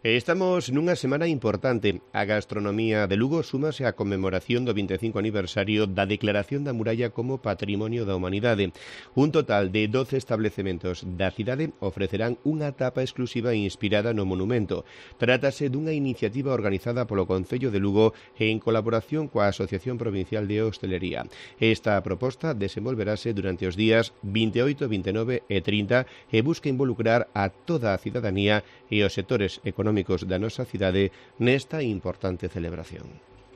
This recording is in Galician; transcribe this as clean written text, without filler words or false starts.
Estamos nunha semana importante. A gastronomía de Lugo súmase á conmemoración do 25 aniversario da Declaración da Muralla como Patrimonio da Humanidade. Un total de 12 establecementos da cidade ofrecerán unha tapa exclusiva inspirada no monumento. Trátase dunha iniciativa organizada polo Concello de Lugo en colaboración coa Asociación Provincial de Hostelería. Esta proposta desenvolverase durante os días 28, 29 e 30 e busca involucrar a toda a cidadanía e os sectores económicos da nosa cidade nesta importante celebración.